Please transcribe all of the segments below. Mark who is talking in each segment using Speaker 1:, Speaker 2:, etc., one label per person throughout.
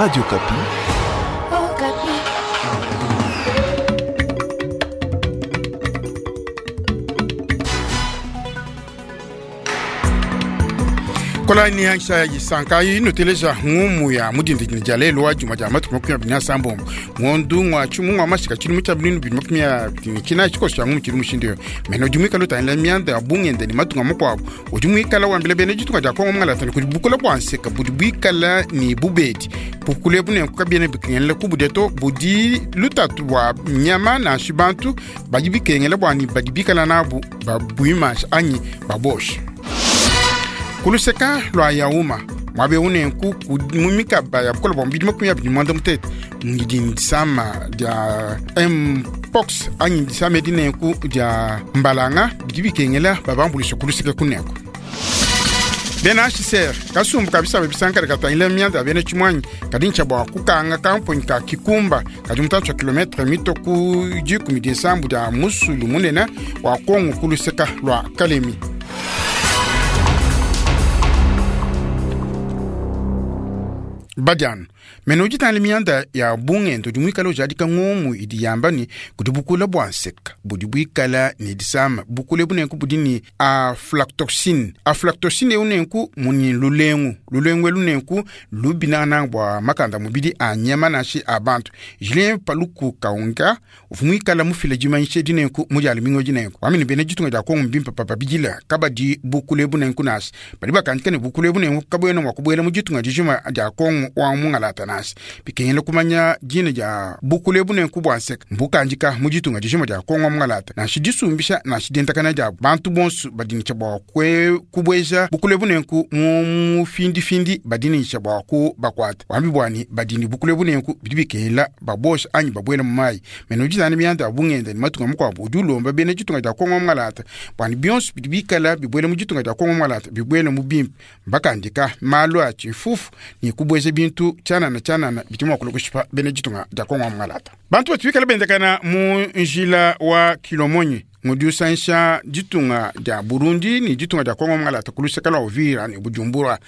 Speaker 1: Radio Okapi.
Speaker 2: Okapi.
Speaker 3: Kolani yansha yisankayi nuteleja ngumu ya mudindidini dia lelu wa juma dia matuku 29 ngondu ngwa tshimu ngwa mashika tshilumu tshia binunu bidi 29 tshikoso tshia ngumu tshili mushindu yo mena udi muikala utangila mianda ya bungende ne matunga makuabu udi muikala wambila bena ditunga dia kongo mungalatana kudi bukula bua nseka budi buikala ne bubedi bukula ebu nenku kabiena bikengela kubudia to budi lutatu bua nyama nansha bantu badi bikengela bua ne badi bikala nabu babuimansha anyi babosha. Kuluseka lua yauma muaba eu nenku mu mikaba ya bukole bua mubidi 25 ngidi disama dia mpox anyi disama edi nenku dia mbalanga bidi bikengela babambulisha kuluseka kunenku. Bena HCR kasumbu ka bisamba bisankala katangila mianda ya bena tshimuanyi kadi ntshia bua kukanga kamponyi ka Kikumba kadi mutantshi wa kilometre mito ku dikumi dinsambu dia musulu munene wa Kongo kuluseka lua Kalemi. Badiano mena udi mianda ya bungendo udi muikala ujadika ngumu idi yamba ne kudi bukula bua nseka budi buikala ne disama bukula ebu nenku budi ne aflatoxine. Aflatoxine eu nenku muni lulengu lulengu elu nenku lubinananga bua makanda mubidi a nyama nansha a bantu. Julien Paluku Kaunga uvua muikala mufila dimanyisha edi nenku mu dia lumingu edi nenku wamene bena ditunga dia Kongo mbimpe papabidila kabadi bukula ebu nenku nansha badi bakandika ne bukula ebu nenku kabuena mua kubuela mu ditunga dijima dia Kongo wa mungalata nansha bikengela kumanya dina dia bukula ebu nenku bua nseka mbukandika mu ditunga dijima dia Kongo wa mungalata nansha disumbisha nansha dientakana diabu bantu bonso badi ne tshia bua kubueja bukula ebu nenku mu mufindifindi badi ne tshia bua kubakuata wambi bua ne badi ne bukula ebu nenku bidi bikengela babosha anyi babuela mu mayi. Mena udi zana mianda ya bungenda ne matunga makuabu udi ulomba bena ditunga dia Kongo wa mungalata bua ne bionso bidi bikala bibuela mu ditunga dia Kongo wa mungalata bibuela mu bimpe mbakandika malu a tshifufu ne kubueja bintu tshianana tshianana bidi mua kulua kushipa bena ditunga dia Kongo wa mungalata. Bantu batu bikala bendakana mu njila wa Kilomonyi ngudi usansha ditunga dia Burundi ne ditunga dia Kongo mungalata ku luseka lua Uvira ne Bujumbura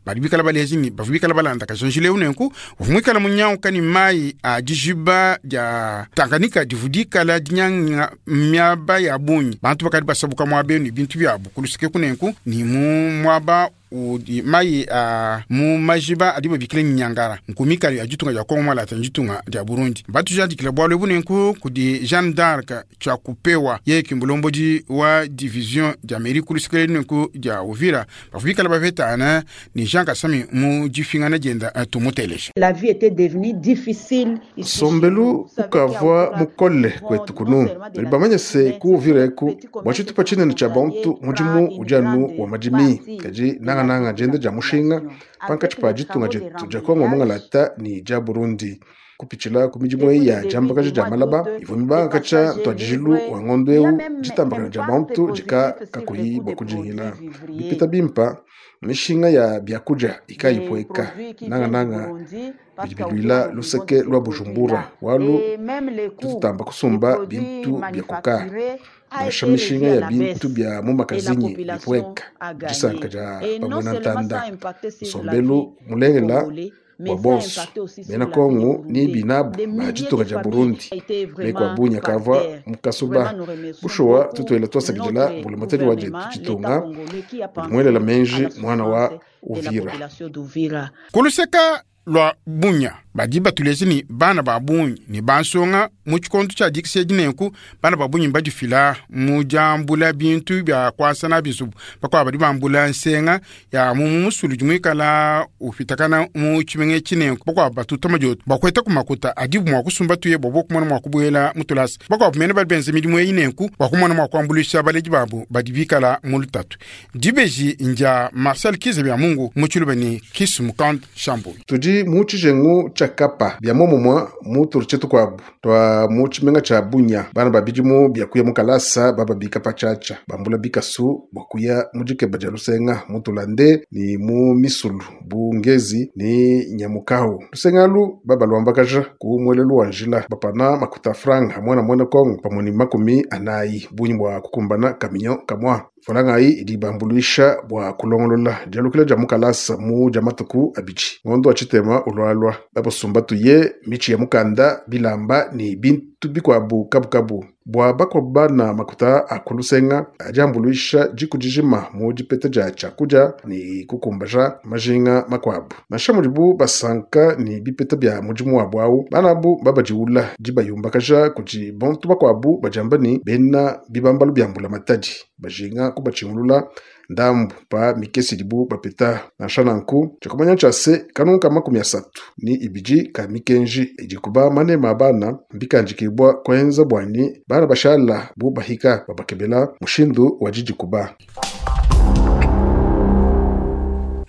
Speaker 3: badi bikala balezi ne bavua bikala balandakaja njila eu nenku uvua muikala munyanguka ne mayi a dijiba dia Tanganyika divua dikala dinyanga miaba ya bungi. Bantu bakadi basabuka muaba eu ne bintu biabu ku luseke kunenku ne mu muaba udi mayi a mu majiba adi babikila ne nyangara nkumikalo ya ditunga dia Kongo mungalata ne ditunga dia Burundi. Batujadikila bualu ebu nenku kudi Jeanne d'Arc Tshiakupewa yeye ki mulombodi wa division dia mairie ku luseke nenku dia Uvira bavua bikala bapetana ne Jean Kasami mu difingana dienda tumuteleja.
Speaker 4: La vie était devenue difficile ici.
Speaker 5: Sombelu ukavua mukole kwetu kunu nali bamanye se ku Uvira eku bua tshitupa tshinene tshia bantu mudimu udi anu wa madimi kadi nangananga dienda dia mushinga pankatshi pa ditunga dietu dia Kongo mungalata ne dia Burundi. Kupitshila ku midimu eyi ya diambakaja dia malaba ivua mibangakatsha ntuadijilu wa ngondo eu ditambakana dia bantu dika kakuyi bua kudingila bipeta bimpa mishinga ya biakudia ikayipueka nangananga bidi biluila luseke lua Bujumbura walu tutamba kusumba bintu bia kuka nansha mishinga ya bintu bia mu makazinyi bipueka disanka dia bamwena ntanda nsombelu mulengela bua bonso bena Kongo ni binabu ba ditunga dia Burundi meko abunya kavua mukasuba bushuwa tutuela twasakidila mbulamatadi wa dietu ditunga udi muelela menji mwana wa Uvira.
Speaker 3: Kuluseka lua bunya badi batuleje ne bana ba bungi ne bansonga mu tshikondo tshia dikisha edi nenku bana ba bungi badifila mu diambula bintu bia kuasa nabi nzubu bakuabu badi bambula nsenga ya mu musulu udi muikala upitakana mu tshimenga etshi nenku bakuabu batuta madioto bakueta ku makuta adibu mua kusumba tuye bua bokumona mua kubuela mu tulasa bakuabu mene badi benza midimu eyi nenku bua kumona mua kuambuluisha baledi babu badi bikala mu lutatu. Dibeji ndia Marcel Kize bia Mungu mu tshiluba ne Kisumukand Shambuyi.
Speaker 5: Tudi mu tshijengu tshia Kapa bia momumua mu tulu tukuabu tua mu tshimenga tshia Bunya bana ba bidimu bia kuya mu kalasa bababika patshiatshia bambula bikasu bua kuya mu dikeba dia lusenga mu tulande ne mu misulu bu ngezi ne nyamukawu. Lusenga alu babaluambakaja ku muelelu wa njila bapana makuta franga muana muena Kongo pamue ne 40 bungi bua kukumbana kaminyo kamua. Mfranga ayi idi ibambuluisha bua kulongolola dialukila dia mu kalasa mu dia matuku abidi ngondo wa tshitema ulualua. Babasumba tuye mitshi ya mukanda, bilamba ne bintu bikuabu kabukabu. Bua bakuabu bana makuta a kulusenga adi ambuluisha diku dijima mu dipeta dia tshiakudia ne kukumbaja majinga makuabu. Nansha mudibu basanka ne bipeta bia mudimu wabu awu, bana abu babadiwula dibayumbakaja kudi bantu bakuabu badiamba ne bena bibambalu bia mbulamatadi bajinga kubatshingulula ndambu pa mikese idibu bapeta. Nansha nanku, tshiakumanya ntshia se, kanungu ka 32 ka mikenji idi kuba manema a bana mbikandikibua kuenza buani bana bashala bu bahika babakebela mushindu wa didikuba.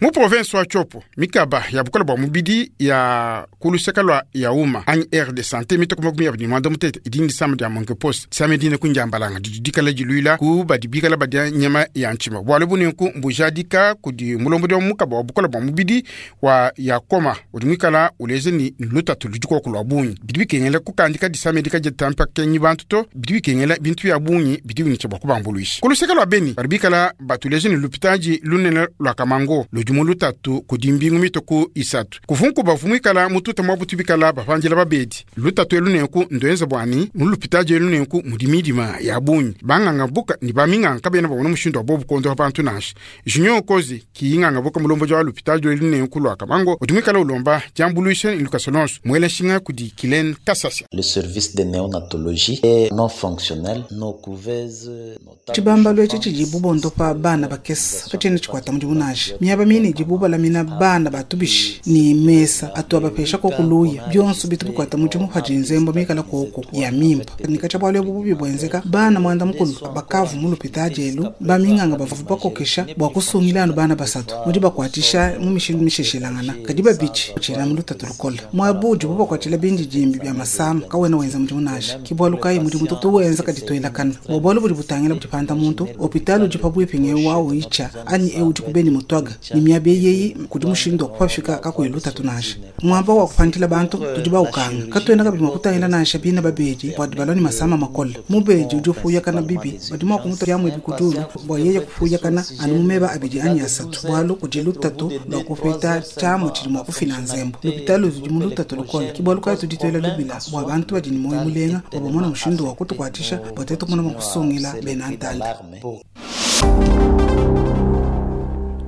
Speaker 3: Mu province wa Tshopo, mikaba ya bukola bua mubidi ya ku luseke lua Yauma anyi aire de santé mitoko 28 idi ndisama dia monkeypox. Disama dine ku ndiambalanga didi dikala diluila ku badi bikala badia nyama ya ntshima. Bualu bunenku mbujadika kudi mulombodi wa mukaba wa bukola bua mubidi wa Yakoma udi muikala uleja ni lutatu ludi koku lua bungi. Bidi bikengela kukandika disama edi kaditampa kenyi bantu to, bidi bikengela bintu bia bungi bidi binyisha bua kubambuluisha. Ku luseke lua Beni badi bikala batuleja ni lupitadi lunene lua Kamango ludi mu lutatu kudi mbingu mitoko 3. Kuvunku bavu muikala mututa mwa butu bikala bapandila babedi. Lutatu elu nenku ndoenza bwani mu lupitadi elu nenku mudi midima ya bungi. Banganga buka ni baminganga kabena babona mushindu wa bobu kondoha bantu nansha. Junior Kozi kiyinganga buka mulomboji wa lupitadi elu nenku lua Kamango udi muikala ulomba diambuluisha ni lukasa lonso. Muela nshinga kudi Kilen Kasasya.
Speaker 1: Le service de néonatologie est non fonctionnel. Nos couveuses, nos tables
Speaker 6: Tshibambalu etshi tshidi bubondopa bana bakesa katshena tshikwata mudimu nansha. Miaba mine idi bubalamina bana batubishi ni mesa atu abapesha kokuluya byonso bitu bikwata mudimu padi nzembo mikala koko ya mimpa. Nikacha bwalu ebu bubi bwenzeka bana mwanda mukulu bakavu mu lupitadi elu baminganga bavu bakokesha bua kusungila anu bana basatu mudi bakwatisha mu mishindu misheshilangana kadi babidi tshina mu lutatu lukola. Mwabu udi bubakwatshila bindi dimbi bya masama kawena wenza mudimu nansha. Ki bwalu kayi mudimu tutu wenza kadi twelakana. Bua bwalu budi butangila dipanda muntu hopitali udi pabuipi nge wawo icha anyi eu udi kubeni mutwaga ni miaba eyeyi kudi mushindu wa kupafika kakuyi lutatu nansha. Mwaba wa kupandila bantu tudi baukanga katwena kabidi mua kutangila nansha bina babedi bua dibalwa ni masama makola. Mubedi udi ufuyakana bibi badi mua kumuta byamwe bikudulu bua yeye kufuyakana anu mumeba abidi anyi asatu bwalu kudi lutatu lwa kupeta tshiamu tshidi mua kufina nzembo. Lupitali ludi mu lutatu lukola ki bwalu kayi tudi twela lubila bua bantu badi ni moyo mulenga bua bamona mushindu wa kutukwatisha bua tetu kumona mua kusungila bena ntanda.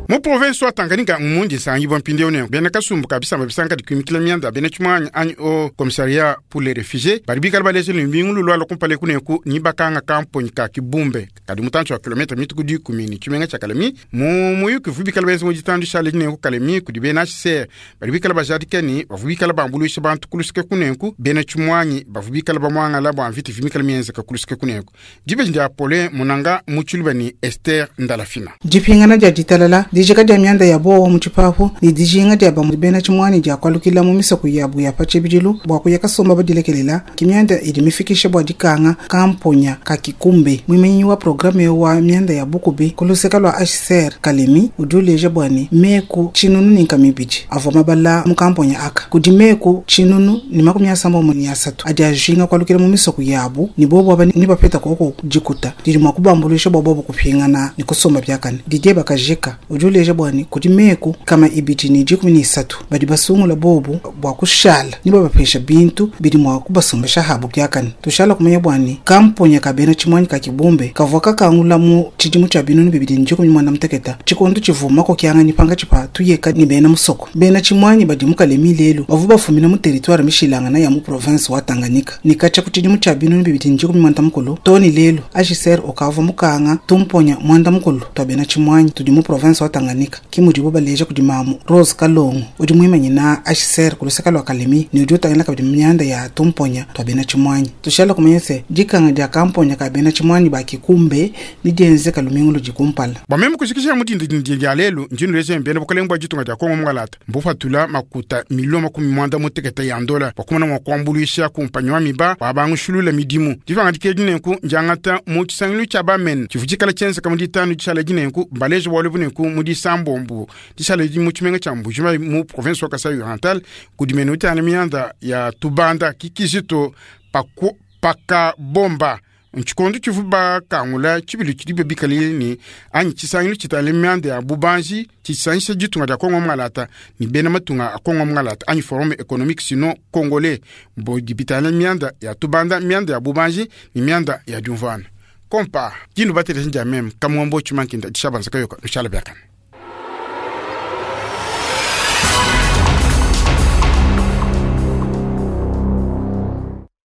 Speaker 3: Mu province wa Tanganyika mumundi nsangi bwa mpindieu ne bena kasumbu ka bisamba bisanka dikumikila mianda bena tshimwanya anyi au commissariat pour les réfugiés badi bikala balejele mbingu lulwala kumpala kuneku ni bakanga kamponyi ka Kibumbe kadi mutantshi wa kilometre mituku 10 ni tshimenga tshia Kalemi mu muyuki vu bikala benza mu ditandu shala dinenku Kalemi kudi bena HCR badi bikala bajadika ni bavu bikala bambuluisha bantu kuluseke kunenku bena tshimwanyi bavu bikala bamwangala bua mvita vimikala mienzeka kuluseke kunenku. Dibeji dia Paulin Munanga Mutshiluba ni Esther Ndalafina.
Speaker 6: Dipingana dia ditalala dijika dia mianda ya bowa mu tshipapu ne dijinga dia bamue bena tshimwani dia kualukila mu misoko yabu ya pa tshibidilu bua kuya kasomba badilekelela ki mianda idi mifikisha bua dikanga kamponya ka Kikumbe. Muimanyi wa programe wa mianda ya bukubi ku luseka lua HCR Kalemi udi uleja bua ne meku 1200 avua mabala mu kamponya aka kudi meku 1063 adi ajinga kualukila mu misoko yabu ne bobo aba ni bapeta koko dikuta didi mua kubambuluisha bua bobo kupingana ne kusomba biakane. Didier Bakajika udi uleja bua ne kudi meku 213 badi basungula bobu bua kushala ni babapesha bintu bidi mua kubasombesha habu biakane. Tushala kumanya bua ne kamponya ka bena tshimwanyi ka Kibumbe kavua kakangula mu tshidimu tshia 2018 tshikondo tshivumako kianganyi panga tshipa tuyeka ni bena musoko. Bena tshimwanyi badi mu Kalemi lelu bavua bafumina mu territoire mishilangana ya mu province wa Tanganyika ni katshia ku tshidimu tshia 2019 toni lelu HCR okavua mukanga tumponya mwanda mukulu twa bena tshimwanyi tudi mu province wa Tanganyika ki mudibo baleja kudi mamu Rose Kalongo udi muimanyi na HCR ku luseka lua Kalemi ne udi utangila kabidi mianda ya tumponya twa bena tshimwanyi. Tushala kumanya se dikanga dia kamponya ka bena tshimwanyi ba Kikumbe ni dienzeka lumingu ludi kumpala.
Speaker 3: Bua meme kushikisha mudindi dindi dia lelu njinu leze mbene bukalenge bua ditunga dia Kongo mungalata mbufatula makuta 96 million ya ndola bua kumona mua kuambuluisha kumpanyi wa miba bua bangushulula midimu. Divanga dikedi nenku ndiangata mu tshisangilu tshia bamene tshivua tshikala tshienzeka mu ditanu dishala dinenku mbaleje bualu bunenku mu disambombo dishala di mu tshimenga tshia Mbuji-Mayi mu province wa Kasai Oriental kudi mene utana mianda ya tubanda kikizito pakabomba. Ntshikondo tshivua bakangula tshibilu tshidibo bikalile ne anyi tshisangilu tshitangila mianda ya bubanji tshisangisha ditunga dia Kongo Mungalata ne bena matunga a Kongo Mungalata anyi Forum Economique Sino Congolais bodi bitangila mianda ya tubanda, mianda ya bubanji ne mianda ya diumvuana. Kompa dinu bateleji ndia meme Kamuambo Tshimankinda dishabanza kayoka nushala biakane.